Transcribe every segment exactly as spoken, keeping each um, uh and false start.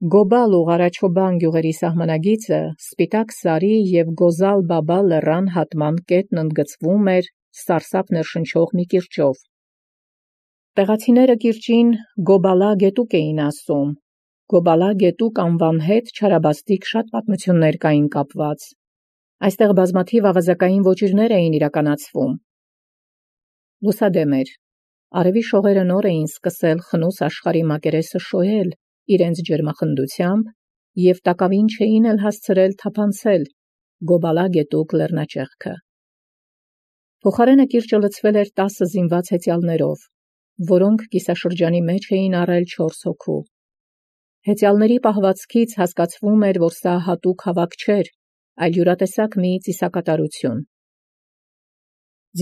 Գոբալ ու Ղարաչոբան գյուղերի սահմանագիծը Սպիտակ Սարի և Գոզալ Բաբալ լեռան հատման կետն ընդգծվում էր սարսափ ներշնչող մի կիրճով։ Տեղացիները կիրճին Գոբալա գետուկ էին ասում։ Գոբալա գետուկ անվան հետ չարաբաստիկ շատ պատմություններ կային կապված։ Այստեղ բազմաթիվ ավազակային ոճիրներ էին իրականացվում։ Լուսադեմ էր։ Արևի շողերը նոր էին սկսել խնուս աշխարհի մակերեսը շոյել իրենց ջերմախնդությամբ և տակավին չէին էլ հասցրել թափանցել Գոբալա գետուկ լեռնաճեղքը։ Փոխարենը կիրճը լցվել էր տասը զինված հեծյալներով, որոնք կիսաշրջանի մեջ էին առել չորս հոգու։ Հեծյալների պահվածքից հասկացվում էր, որ սա հատուկ հավաք չէր, այլ յուրատեսակ մի ծիսակատարություն։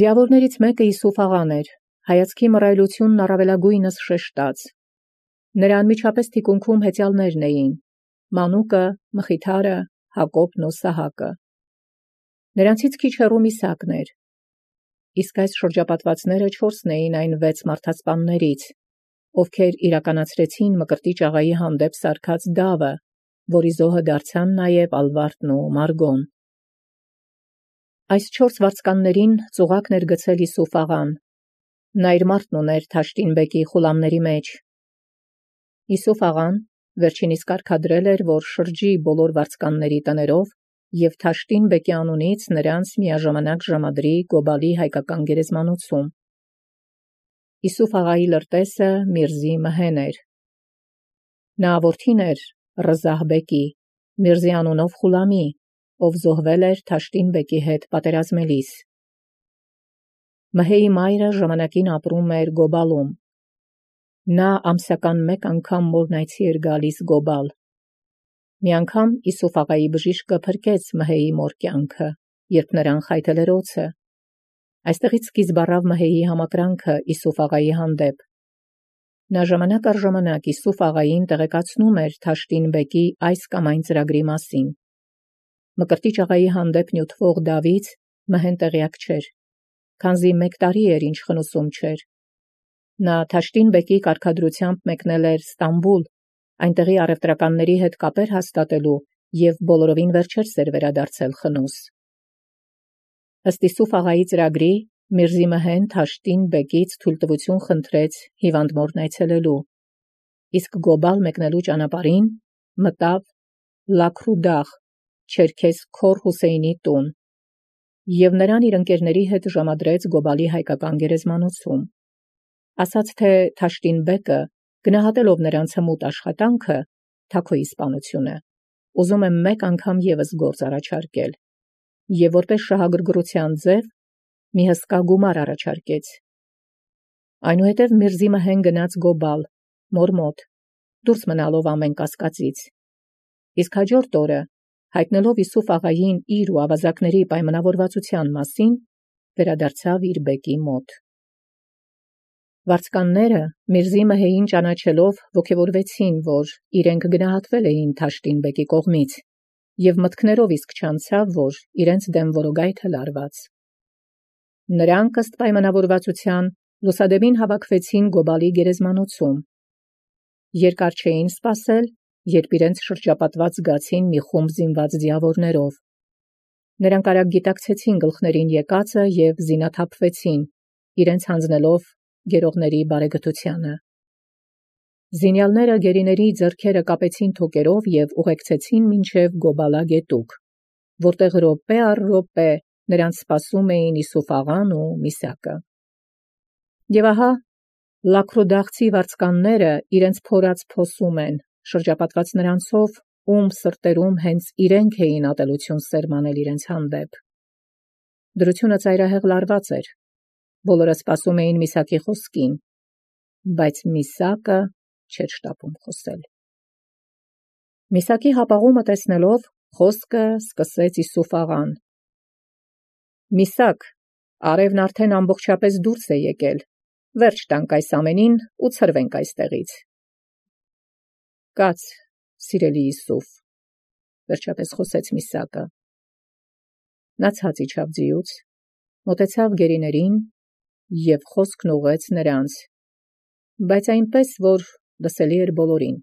Ձիավորներից մեկը Յիսուֆ աղան էր, հայացքի մռայլությունն առավելագույնս շեշտած։ Նրա անմիջապես թիկունքում հեծյալներն էին. Մանուկը, Մխիթարը, Հակոբն ու Սահակը։ Նրանցից քիչ հեռու Միսակն էր։ Իսկ այս շրջապատվածները չորսն էին այն վեց մարդասպաններից, ովքեր իրականացրեցին Մկրտիչ աղայի հանդեպ սարքած դավը, որի զոհը դարձան նաև Ալվարդն ու Մարգոն։ Այս չորս վարձկաններին ծուղակն էր գցել Յիսուֆ աղան։ Նա իր մարդն ուներ Թաշտին բեկի խուլամների մեջ։ Յիսուֆ աղան վերջինիս կարգադրել էր, որ շրջի բոլոր վարձկանների տներով և Թաշտին բեկի անունից նրանց միաժամանակ ժամադրի Գոբալի հայկական գերեզմանոցում։ Յիսուֆ աղայի լրտեսը Միրզի Մհեն էր։ Նա որդին էր Ռզահ բեկի, Միրզի անունով խուլամի, ով զոհվել էր Թաշտին բեկի հետ պատերազմելիս։ Մհեի մայրը ժամանակին ապրում էր Գոբալում։ Նա ամսական մեկ անգամ մորնայցի էր գալիս Գոբալ։ Մի անգամ Յիսուֆ աղայի բժիշկը փրկեց Մհեի մոր կյանքը, երբ նրան խայթել էր օձը։ Այստեղից սկիզբ առավ Մհեի համակրանքը Յիսուֆ աղայի հանդեպ։ Նա ժամանակ առ ժամանակ Յիսուֆ աղային տեղեկացնում էր Թաշտին բեկի այս կամ այն ծրագրի մասին։ Մկրտիչ աղայի հանդեպ նյութվող դավից Մհեն տեղյակ չէր, քանզի մեկ տարի էր ինչ խնուսում չէր։ Նա Թաշտին բեկի կարգադրությամբ մեկնել էր Ստամբուլ, այնտեղի առևտրականների հետ կապեր հաստատելու և բոլորովին վերջերս էր վերադարձել խնուս։ Ըստ Յիսուֆ աղայի ծրագրի Միրզի Մհեն Թաշտին բեկից թույլտվություն խնդրեց հիվանդ մորն այցելելու, իսկ Գոբալ մեկնելու ճանապարհին մտավ Լաքրուդաղ, Չերքես Քոր Հուսեյնի տուն, և նրան իր ընկերների հետ ժամադրեց Գոբալի հայկական գերեզմանոցում։ Ասաց թե Թաշտին բեկը, գնահատելով նրանց հմուտ աշխատանքը, թագուհի սպանությունը, ուզում է մեկ անգամ ևս գործ առաջարկել, և որպես շահագրգռության ձև մի հսկա գումար առաջարկեց։ Այնուհետև Միրզի Մհեն գնաց Գոբալ, մոր մոտ, դուրս մնալով ամեն կասկածից։ Իսկ հաջորդ օրը, հայտնելով Յիսուֆ աղային իր ու ավազակների պայմանավորվածության մասին, վերադարձավ իր բեկի մոտ։ Վարձկանները Միրզի Մհեին ճանաչելով ոգևորվեցին, որ իրենք գնահատվել էին Թաշտին բեկի կողմից, և մտքներով իսկ չանցավ, որ իրենց դեմ որոգայթ է լարված։ Նրանք ըստ պայմանավորվածության լուսադեմին հավաքվեցին Գոբալի գերեզմանոցում։ Երկար չէին սպասել, երբ իրենց շրջապատված զգացին մի խումբ զինված ձիավորներով։ Նրանք արագ գիտակցեցին գլխներին եկածը և զինաթափվեցին, իրենց հանձնելով գերողների բարեգթությանը։ Զինյալները գերիների ձեռքերը կապեցին թոկերով և ուղեկցեցին մինչև Գոբալա գետուկ, որտեղ րոպե առ րոպե նրանց սպասում էին Յիսուֆ աղան ու Միսակը։ Եվ ահա լաքրուդաղցի վարձկանները իրենց փորած փոսում են, շրջապատված նրանցով, ում սրտերում հենց իրենք էին ատելություն սերմանել իրենց հանդեպ։ Դրությունը ծայրահեղ լարված էր, բոլորը սպասում էին Միսակի խոսքին, բայց Միսակը չէր շտապում խոսել։ Միսակի հապաղումը տեսնելով, խոսքը սկսեց Յիսուֆ աղան. «Միսակ, արևն արդեն ամբողջապես դուրս է եկել, վերջ տանք այս ամենին ու ցրվենք այստեղից»։ «Կաց, սիրելի Յիսուֆ», վերջապես խոսեց Միսակը։ Նա ցած իջավ ձիուց, մոտեցավ գերիներին և խոսքն ուղղեց նրանց, բայց այնպես, որ լսելի էր բոլորին.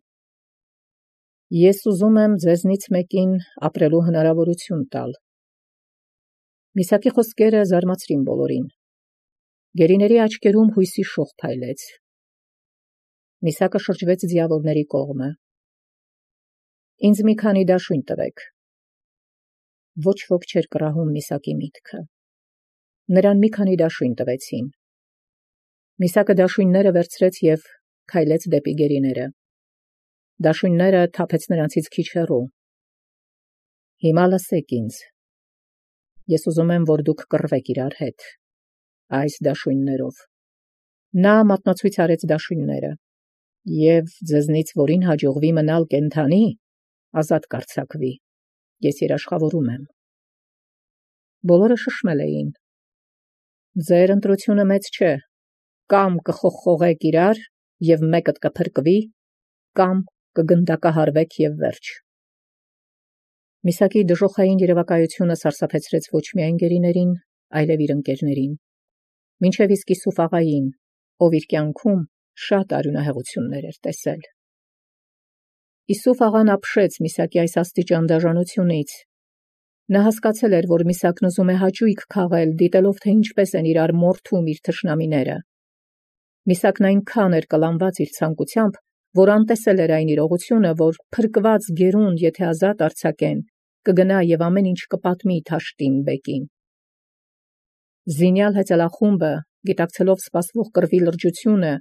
Ես ուզում եմ ձեզնից մեկին ապրելու հնարավորություն տալ։ Միսակի խոսքերը զարմացրին բոլորին։ Գերիների աչքերում հույսի շող փայլեց։ Միսակը շրջվեց ձիավորների կողմը։ Ինձ մի քանի դաշույն տվեք։ Ոչ ոք չէր կռահում Միսակի միտքը։ Նրան մի քանի դաշույն տվեցին։ Միսակը դաշույնները վերցրեց և քայլեց դեպի գերիները։ Դաշույնները թափեց նրանցից քիչ հեռու։ Հիմա լսեք ինձ։ Ես ուզում եմ, որ դուք կռվեք իրար հետ այս դաշույններով։ Նա մատնացույց արեց դաշույնները, և ձեզնից որին հաջողվի մնալ կենդանի, ազատ կարձակվի։ Ես երաշխավորում եմ։ Բոլորը շշմել էին։ Ձեր ընտրությունը մեծ չէ, կամ կխոխխողեք իրար և մեկդ կփրկվի, կամ կգնդակահարվեք և վերջ։ Միսակի դժոխային երևակայությունը սարսափեցրեց ոչ միայն գերիներին, այլև իր ընկերներին, մինչև իսկ Իսուֆ աղային, ով իր կյանքում շատ արյունահեղություններ էր տեսել։ Իսուֆ աղան ապշեց Միսակի այս աստիճան դաժանությունից։ Նա հասկացել էր, որ Միսակն ուզում է հաճույք քաղել, դիտելով, թե ինչպես են իրար մորթում իր թշնամիները։ Միսակն այնքան էր կլանված իր ցանկությամբ, որ անտեսել էր այն իրողությունը, որ փրկված գերուն, եթե ազատ արձակեն, կգնա և ամեն ինչ կպատմի Թաշտին բեկին։ Զինյալ հեծելախումբը, գիտակցելով սպասվող կռվի լրջությունը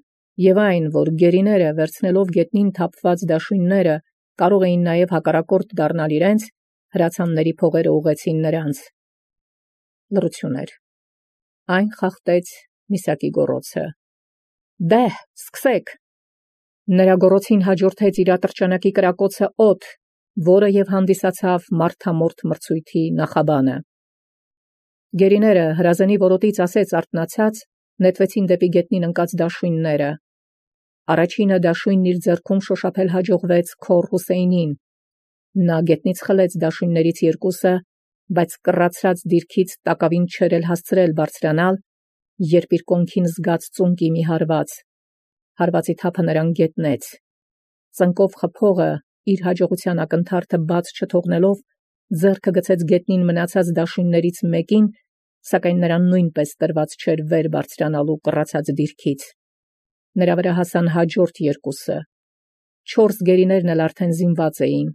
և այն, որ գերիները, վերցնելով գետնին թափված դաշույնները, կարող էին նաև հակառակորդ դառնալ իրենց, հրացանների փողերը ուղղեցին նրանց։ Լռություն էր։ Այն խախտեց Միսակի գոռոցը. «Դե՛հ, սկսեք»։ Նրա գոռոցին հաջորդեց իրատրճանակի կրակոցը օդ, որը և հանդիսացավ մարդամորթ մրցույթի նախաբանը։ Գերիները, հրազենի որոտից ասես արթնացած, նետվեցին դեպի գետնին ընկած դաշույնները։ Առաջինը դաշույնն իր ձեռքում շոշափել հաջողվեց Քոր Հուսեյնին։ Նա գետնից խլեց դաշույններից երկուսը, բայց կռացած դիրքից տակավին չէր էլ հասցրել բարձրանալ, երբ իր կոնքին զգաց ծունկի մի հարված։ Հարվածի թափը նրան գետնեց։ Ծնկով խփողը, իր հաջողության ակնթարթը բաց չթողնելով, ձեռքը գցեց գետնին մնացած դաշույններից մեկին, սակայն նրան նույնպես տրված չէր վեր բարձրանալու կռացած դիրքից։ Նրա վրա հասան հաջորդ երկուսը։ Չորս գերիներն էլ արդեն զինված էին։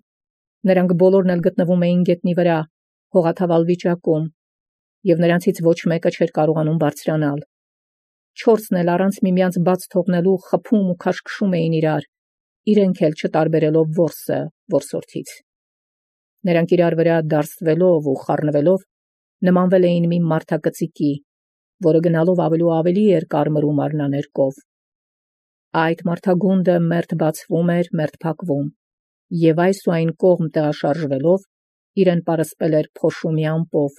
Նրանք բոլորն էլ գտնվում էին գետնի վրա, հողաթավալ վիճակում, և նրանցից ոչ մեկը չէր կարողանում բարձրանալ։ Չորսն էլ առանց միմյանց բաց թողնելու խփում ու քաշքշում էին իրար, իրենք էլ չտարբերելով որսը որսորդից։ Նրանք իրար վրա դարսվելով ու խառնվելով նմանվել էին մի մարդակծիկի, որը գնալով ավելի ու ավելի էր կարմրում արնաներկով։ Այդ մարդագունդը մերթ բացվում էր, մերթ փակվում, և այս ու այն կողմ տեղաշարժվելով իրեն պարսպել էր փոշու մի ամպով։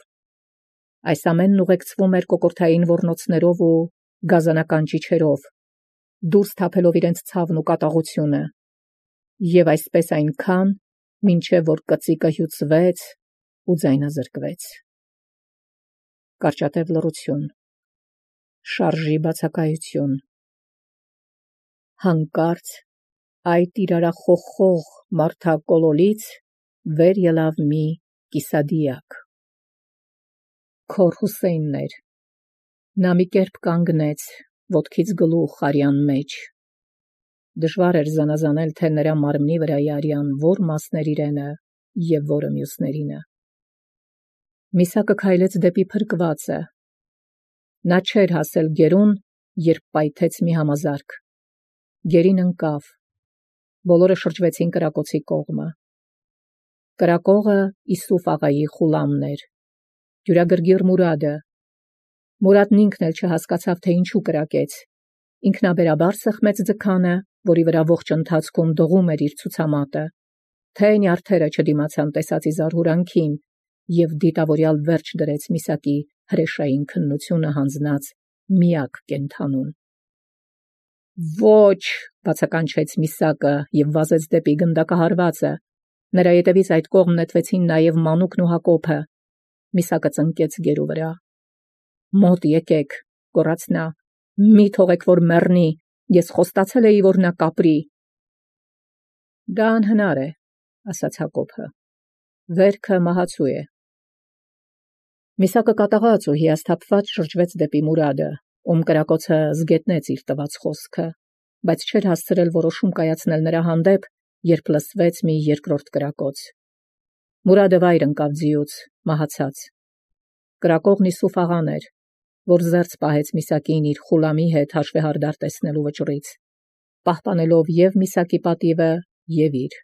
Այս ամենն ուղեկցվում էր կոկորդային ոռնոցներով ու գազանական ճիչերով, դուրս թափելով իրենց ցավն ու կատաղությունը, և այսպես այնքան, մինչև որ կծիկը հյուծվեց ու ձայնազրկվեց։ Կարճատև լռություն, շարժի բացակայություն։ Հանկարծ այդ իրարախոխող մարդակոլոլից վեր ելավ մի կիսադիակ։ Քոր Հուսեյնն էր։ Նա մի կերպ կանգնեց, ոտքից գլուխ արյան մեջ։ Դժվար էր զանազանել, թե նրա մարմնի վրայի արյան որ մասն էր իրենը և որը մյուսներինը։ Միսակը քայլեց դեպի փրկվածը։ Նա չէր հասել գերուն, երբ պայթեց մի համազարկ։ Գերին ընկավ։ Բոլորը շրջվեցին կրակոցի կողմը։ Կրակողը Իսուֆ աղայի Խուլամն էր, դյուրագրգիռ Մուրադը։ Մուրադն ինքն էլ չհասկացավ, թե ինչու կրակեց։ Ինքնաբերաբար սեղմեց ձգանը, որի վրա ողջ ընթացքում դղում էր իր ցուցամատը, թե նյարդերը չդիմացան տեսածի զարհուրանքին, և դիտավորյալ վերջ դրեց Միսակի հրեշային քննությունը հանձնած միակ կենդանուն։ «Ոչ», բացականչեց Միսակը և վազեց դեպի գնդակահարվածը։ Նրա ետևից այդ կողմ նետվեցին նաև Մանուկն ու Հակոբը։ Միսակը ծնկեց գերու վրա։ «Մոտ եկեք», գոռաց նա, «մի թողեք, որ մեռնի, ես խոստացել էի, որ նա կապրի»։ Դա անհնար է, ասաց Հակոբը։ Վերքը մահացու է։ Միսակը կատաղած ու հիասթափված շրջվեց դեպի Մուրադը, ում կրակոցը զգետնեց իր տված խոսքը, բայց չէր հասցրել որոշում կայացնել նրա հանդեպ, երբ լսվեց մի երկրորդ կրակոց։ Մուրադը վայր ընկավ ձիուց, մահացած։ Կրակողն Իսուֆ աղան էր, որ զերծ պահեց Միսակին իր խուլամի հետ հաշվեհարդար տեսնելու վճռից, պահպանելով և Միսակի պատիվը, և իր։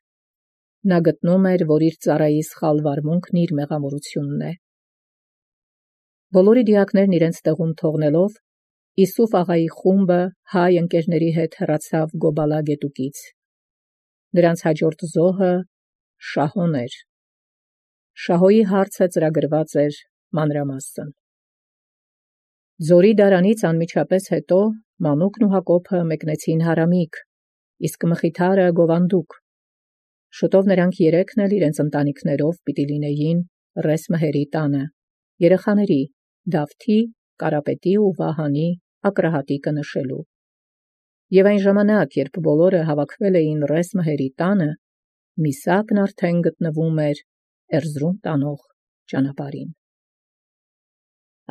Նա գտնում էր, որ իր ծառայի սխալ վարմունքն իր մեղամորությունն է։ Բոլորի դիակներն իրենց տեղում թողնելով, Իսուֆ աղայի խումբը հայ ընկերների հետ հեռացավ Գոբալա գետուկից։ Նրանց հաջորդ զոհը Շահոն էր։ Շահոյի հարցը ծրագրված էր մանրամասն։ Ձորի դարանից անմիջապես հետո Մանուկն ու Հակոբը մեկնեցին Հարամիկ, իսկ Մխիթարը Գովանդուկ։ Շուտով նրանք երեքն էլ իրենց ընտանիքներով պիտի լինեին Ռես Մհերի տանը, երեխաների Դավթի, Կարապետի ու Վահանի ակրահատիկը նշելու։ Եվ այն ժամանակ, երբ բոլորը հավաքվել էին Ռես Մհերի տանը, Միսակն արդեն գտնվում էր Էրզրում տանող ճանապարհին։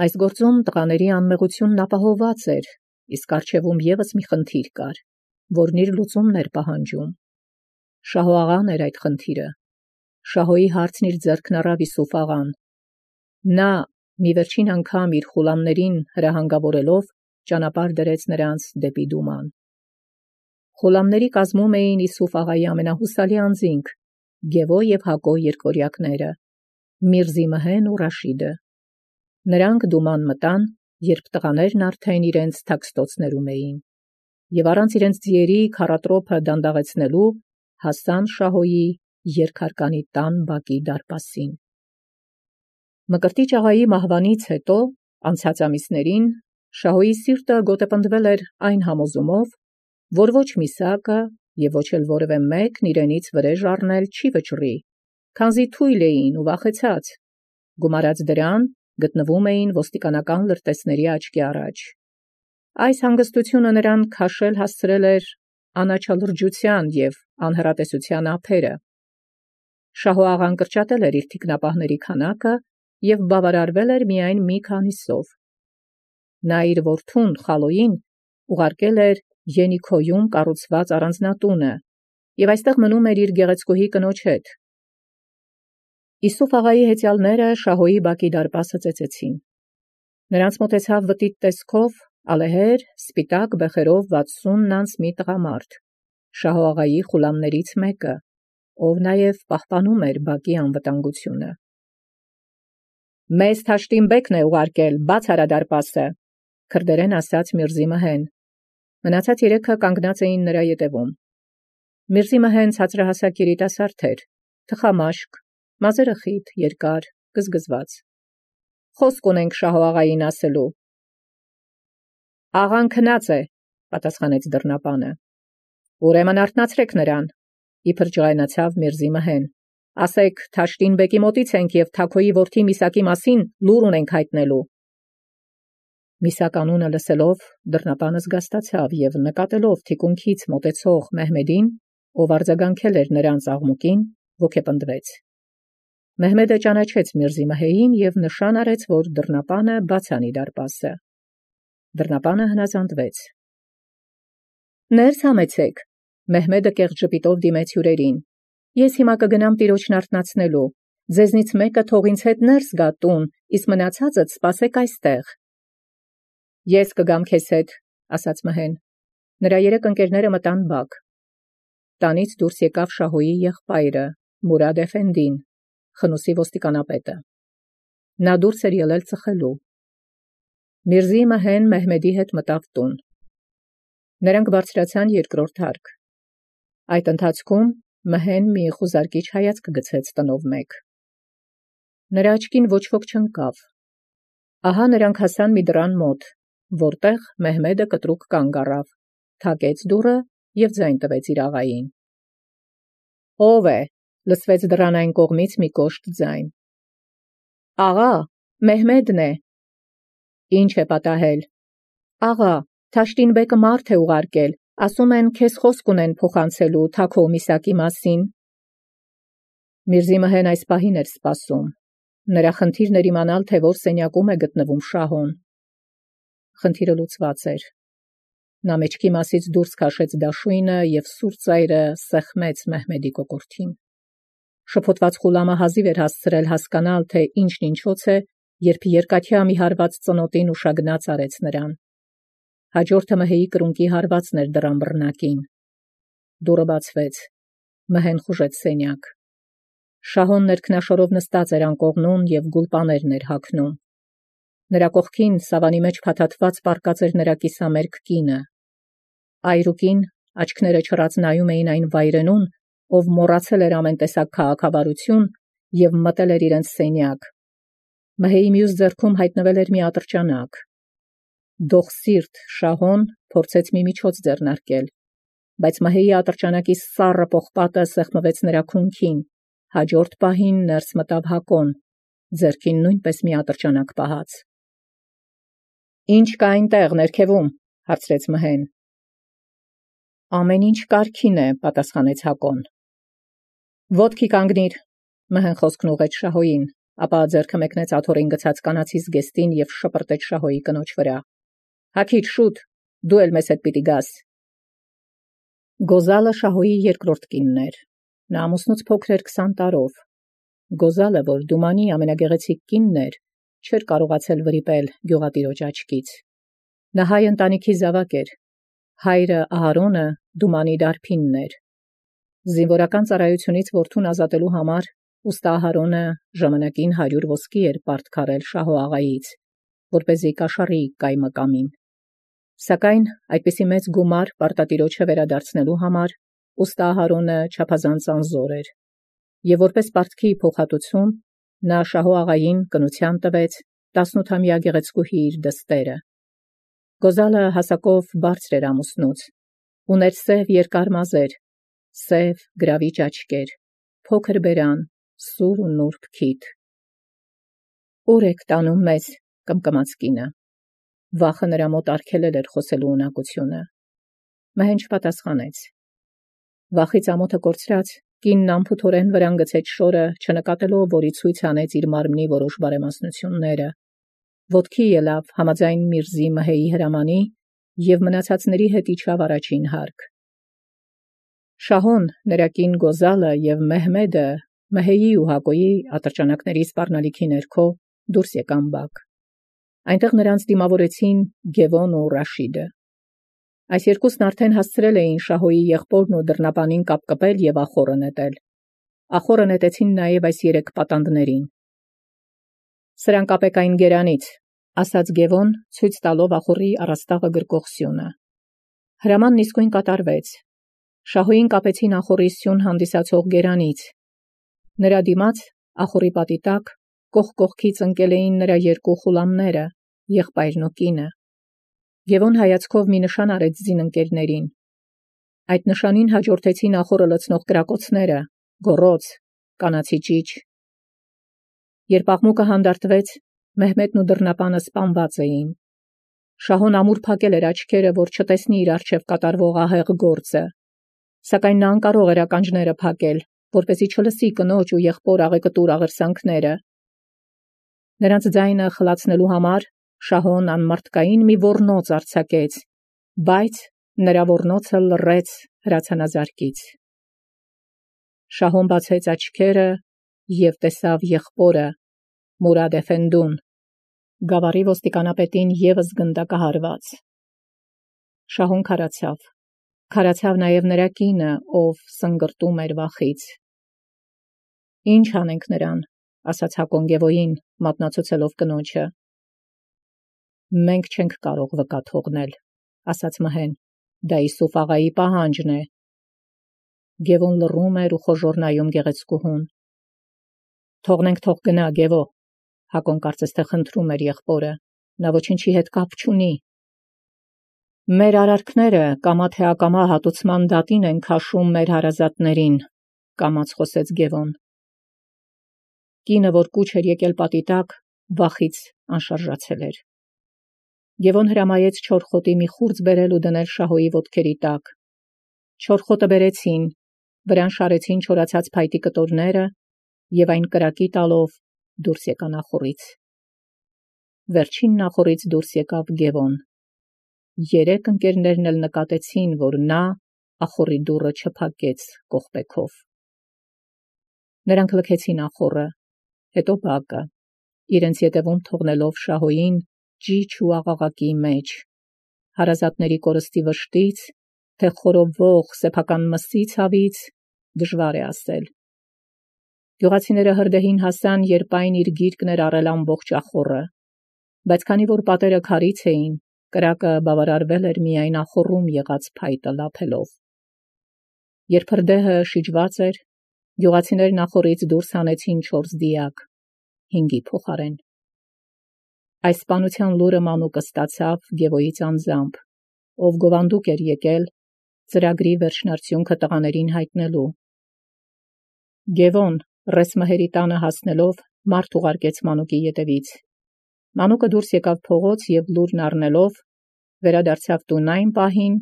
Այս գործում տղաների անմեղությունն ապահովված էր, իսկ առջևում ևս մի խնդիր կար, որն իր լուծումն էր պահանջում։ Շահո աղան էր այդ խնդիրը։ Շահոյի հարցն իր ձեռքն առավ Իսուֆ աղան։ Նա մի վերջին անգամ իր խուլամներին հրահանգավորելով ճանապարհ դրեց նրանց դեպի Դուման։ Խուլամների կազմում էին Իսուֆ աղայի ամենահուսալի անձինք, Գևո և Հակո երկորյակները, Միրզի Մհեն ու Ռաշիդը։ Նրանք Դուման մտան, երբ տղաներն արդեն իրենց թաքստոցներում էին, և առանց իրենց ձիերի քառատրոփը դանդաղեցնելու հասան Շահոյի երկհարկանի տան բակի դարպասին։ Մկրտիչ աղայի մահվանից հետո, անցած ամիսներին, Շահոյի սիրտը գոտեպնդվել էր այն համոզումով, որ ոչ Միսակը և ոչ էլ որևէ մեկն իրենից վրեժ առնել չի վճռի, քանզի թույլ էին ու վախեցած, գումարած դրան գտնվում էին ոստիկանական լրտեսների աչքի առաջ։ Այս հանգստությունը նրան քաշել հասցրել էր անաչալրջության և անհեռատեսության ափերը։ Շահո աղան կրճատել էր իր թիկնապահների քանակը և բավարարվել էր միայն մի քանիսով։ Նա իր որդուն Խալոյին ուղարկել էր Ենիքոյում կառուցված առանձնատունը և այստեղ մնում էր իր գեղեցկուհի կնոջ հետ։ Իսուֆ աղայի հեծյալները Շահոյի բակի դարպասը ծեծեցին։ Նրանց մոտեցավ վտիտ տեսքով ալեհեր, սպիտակ բեխերով վաթսուն անց մի տղամարդ, Շահո աղայի խուլամներից մեկը, ով նաև պահպանում էր բակի անվտանգությունը։ Մեզ Թաշտիմբեկն է ուղարկել, բաց արա դարպասը, քրդերեն ասաց Միրզի Մհեն։ Մնացած երեքը կանգնած էին նրա ետևում։ Միրզի Մհեն ցածրահասակ երիտասարդ էր, թխամաշկ, մազերը խիտ, երկար, գզգզված։ Խոսք ունենք Շահո աղային ասելու։ Աղան քնած է, պատասխանեց դռնապանը։ Ուրեմն արթնացրեք նրան, իբր ջղայնացավ Միրզի Մհեն։ Ասեք, Թաշտինբեկի մոտից ենք և Թաքոյի որդի Միսակի մասին լուր ունենք հայտնելու։ Միսակ անունը լսելով դռնապանը զգաստացավ և նկատելով թիկունքից մոտեցող Մեհմեդին, ով արձագանքել էր նրանց աղմուկին, ոգեպնդվեց։ Մեհմեդը ճանաչեց Միրզի Մհեին և նշան արեց, որ դռնապանը բաց անի դարպասը։ Դռնապանը հնազանդվեց։ Ներս համեցեք, Մեհմեդը կեղծ ժպիտով դիմեց հյուրերին։ Ես հիմա կգնամ տիրոջն արթնացնելու, ձեզնից մեկը թող ինձ հետ ներս գա տուն, իսկ մնացածդ սպասեք այստեղ։ Ես կգամ քեզ հետ, ասաց Մհեն։ Նրա երեք ընկերները մտան բակ։ Տանից դուրս եկավ Շահոյի եղբայրը, Մուրադ Էֆենդին, Խնուսի ոստիկանապետը։ Նա դուրս էր ելել ծխելու։ Միրզի Մհեն Մեհմեդի հետ մտավ տուն։ Նրանք բարձրացան երկրորդ հարկ։ Այդ ընթացքում Մհեն մի խուզարկիչ հայացք գցեց տնով մեկ։ Նրա աչքին ոչ ոք չընկավ։ Ահա նրանք հասան մի դռան մոտ, որտեղ Մեհմեդը կտրուկ կանգ առավ, թակեց դուռը և ձայն տվեց իր աղային։ Ո՞վ է, լսվեց դռան այն կողմից մի կոշտ ձայն։ Աղա, Մեհմեդն է։ Ինչ է պատահել։ Աղա, Թաշտինբեկը մարդ է ուղարկել, ասում են քեզ խոսք ունեն փոխանցելու Թաքո Միսակի մասին։ Միրզի Մհեն այս պահին էր սպասում։ Նրա խնդիրն էր իմանալ, թե որ սենյակում է գտնվում Շահոն։ Խնդիրը լուծված էր։ Նա մեջքի մասից դուրս քաշեց դաշույնը և սուր ծայրը սեղմեց Մեհմեդի կոկորդին։ Շփոթված Ղուլամը հազիվ էր հասցրել հասկանալ, թե ինչն ինչոց է, երբ երկաթյա մի հարված ծնոտին ուշագնաց արեց նրան։ Հաջորդը Մհեի կրունկի հարվածն էր դռան բռնակին։ Դուռը բացվեց։ Մհեն խուժեց սենյակ։ Շահոն ներքնաշորով նստած էր անկողնուն և գուլպաներն էր հագնում։ Նրա կողքին սավանի մեջ փաթաթված պառկած էր նրա կիսամերկ կինը։ Այրուկին աչքները չռած նայում էին այն վայրենուն, ով մոռացել էր ամեն տեսակ քաղաքավարություն և մտել էր իրենց սենյակ։ Մհեի մյուս ձեռքում հայտնվել էր մի ատրճանակ։ Դոխսիրտ Շահոն փորձեց մի միջոց ձեռնարկել, բայց Մհեի ատրճանակի սառը պողպատը սեղմվեց նրա քունքին, հաջորդ պահին ներս մտավ Հակոն, ձեռքին նույնպես մի ատրճանակ պահած։ «Ի՞նչ կա այնտեղ ներքևում», հարցրեց Մհեն։ «Ամեն ինչ կարգին է», պատասխանեց Հակոն։ «Ոտքի կանգնիր», Մհեն խոսքն ուղղեց Շահոյին, ապա ձեռքը մեկնեց աթոռին գցած կանացի զգեստին և շպրտեց Շահոյի կնոջ վրա։ «Հագիր շուտ, դու էլ մեզ հետ պիտի գաս»։ Գոզալը Շահոյի երկրորդ կինն էր։ Նա ամուսնուց փոքր էր քսան տարով։ Գոզալը, որ Դումանի ամենագեղեցիկ կինն էր, չէր կարողացել վրիպել գյուղատիրոջ աչքից։ Նա հայ ընտանիքի զավակ էր։ Հայրը Ահարոնը Դումանի դարբինն էր։ Զինվորական ծառայությունից որդուն ազատելու համար ուստա Ահարոնը ժամանակին հարյուր ոսկի էր պարտքարել Շահո աղայից, որպեսզի կաշառի կայմը կամին։ Սակայն այդպիսի մեծ գումար պարտատիրոջը վերադարձնելու համար ուստա Ահարոնը չափազանց անզոր էր, և որպես պարտքի փոխհատուցում նա Շահո աղային կնության տվեց տասնութամյա գեղեցկուհի իր դստերը։ Գոզալը հասակով բարձր էր ամուսնուց, ուներ սև երկար մազեր, սև գրավիչ աչքեր, փոքր բերան, սուր ու նուրբ քիթ։ «Ուր եք տանում մեզ», կմկմաց կինը։ Վախը նրա մոտ արգելել էր խոսելու ունակությունը։ Մհեն չպատասխանեց։ Վախից ամոթը կորցրած, կինն անփութորեն վրան գցեց շորը, չնկատելով, որի ցույց անեց իր մարմնի որոշ բարեմասնությունները։ Ոտքի ելավ համաձայն Միրզի Մհեի հրամանի և մնացածների հետ իջավ առաջին հարկ։ Շահոն, նրա կին Գոզալը և Մեհմեդը Մհեի ու Հակոյի ատրճանակների սպառնալիքի ներքո դուրս եկան բակ։ Այնտեղ նրանց դիմավորեցին Գևոն ու Ռաշիդը։ Այս երկուսն արդեն հասցրել էին Շահոյի եղբորն ու դռնապանին կապկպել և ախոռը նետել։ Ախոռը նետեցին նաև այս երեք պատանդներին։ «Սրանք կապեք այն գերանից», ասաց Գևոն, ցույց տալով ախոռի առաստաղը գրկող սյունը։ Հրամանն իսկույն կատարվեց։ Շահոյին կապեցին ախոռի սյուն հանդիսացող գերանից։ Նրա դիմաց ախոռի պատի տակ կողք կողքից ընկել էին նրա երկու ղուլամները, եղբայրն ու կինը։ Գևոն հայացքով մի նշան արեց զինընկերներին։ Այդ նշանին հաջորդեցին ախոռը լցնող կրակոցները, գոռոց, կանացի ճիչ։ Երբ աղմուկը հանդարտվեց, Մեհմեդն ու դռնապանը սպանված էին։ Շահոն ամուր փակել էր աչքերը, որ չտեսնի իր առջև կատարվող ահեղ գործը, սակայն նա անկարող էր ականջները փակել, որպեսզի չլսի կնոջ ու եղբոր աղեկտուր աղերսանքները։ Նրանց ձայնը խլացնելու համար Շահոն անմարդկային մի ոռնոց արձակեց, բայց նրա ոռնոցը լռեց հրացանազարկից։ Շահոն բացեց աչքերը և տեսավ եղբորը Մուրադ Էֆենդուն, գավառի ոստիկանապետին ևս գնդակահարված։ Շահոն քարացավ, քարացավ նաև նրա կինը, ով սնգրտում էր վախից։ «Ինչ անենք նրան», ասաց Հակոն Գևոյին, մատնացուցելով կնոջը։ «Մենք չենք կարող վկա թողնել», ասաց Մհեն, «դա Իսուֆ աղայի պահանջն է»։ Գևոն լռում էր ու խոժոռ նայում գեղեցկուհուն։ «Թողնենք, թող գնա, Գևո», Հակոն կարծես թե խնդրում էր եղբորը, նա ոչինչի հետ կապ չունի։ «Մեր արարքները կամա թե ակամա հատուցման դատին են քաշում մեր հարազատներին», կամաց խոսեց Գևոն։ Կինը, որ կուչ էր եկել պատի տակ, վախից անշարժացել էր։ Գևոն հրամայեց չոր խոտի մի խուրձ բերել ու դնել Շահոյի ոտքերի տակ։ Չոր խոտը բերեցին, վրան շարեցին չորացած փայտի կտորները և այն կրակի տալով դուրս եկան ախոռից։ Վերջին ախոռից դուրս եկավ Գևոն։ Երեք ընկերներն էլ նկատեցին, որ նա ախոռի դուռը չփակեց կողպեքով։ Նրանք լքեցին ախոռը, հետո բակը, իրենց ետևում թողնելով շահոյին ճիչ ու աղաղակի մեջ, հարազատների կորստի վշտից, թե խորովող սեփական մսի ցավից, դժվար է ասել։ Գյուղացիները հրդեհին հասան, երբ այն իր գիրկն էր առել ամբողջ ախոռը, բայց քանի որ պատերը քարից էին, կրակը բավարարվել էր միայն ախոռում եղած փայտը լափելով։ Երբ հրդեհը շիջված էր, գյուղացիներն ախոռից դուրս հանեցին չորս դիակ, հինգի փոխարեն։ Այս սպանության լուրը մանուկը ստացավ Գևոյից անձամբ, ով գովանդուկ էր եկել ծրագրի վերջնարդյունքը տղաներին հայտնելու։ Գևոն Ռեսմհերի տանը հասնելով մարդ ուղարկեց մանուկի ետևից։ Մանուկը դուրս եկավ փողոց և լուրն առնելով վերադարձավ տուն այն պահին,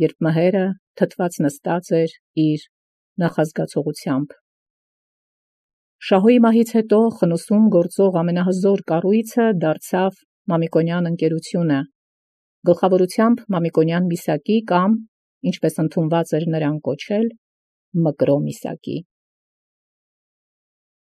երբ մհերը թթված նստած էր իր նախազգացողությամբ։ Շահոյի մահից հետո խնուսում գործող ամենահզոր կառույցը դարձավ Մամիկոնյան ընկերությունը, գլխավորությամբ Մամիկոնյան Միսակի կամ, ինչպես ընդունված էր նրան կոչել, Մկրո Միսակի։